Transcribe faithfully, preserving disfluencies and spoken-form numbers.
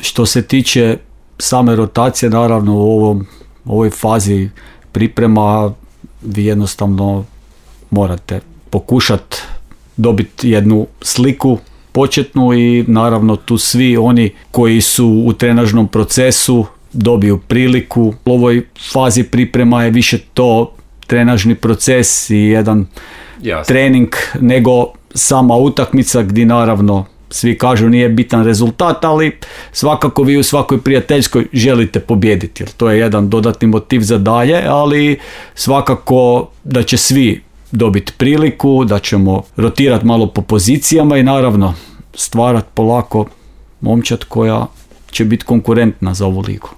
što se tiče same rotacije, naravno u ovom, ovoj fazi priprema vi jednostavno morate pokušati dobiti jednu sliku početnu i naravno tu svi oni koji su u trenažnom procesu dobiju priliku. U ovoj fazi priprema je više to trenažni proces i jedan Jasne. trening nego sama utakmica gdje naravno svi kažu nije bitan rezultat, ali svakako vi u svakoj prijateljskoj želite pobijediti jer to je jedan dodatni motiv za dalje, ali svakako da će svi dobiti priliku, da ćemo rotirati malo po pozicijama i naravno stvarati polako momčad koja će biti konkurentna za ovu ligu.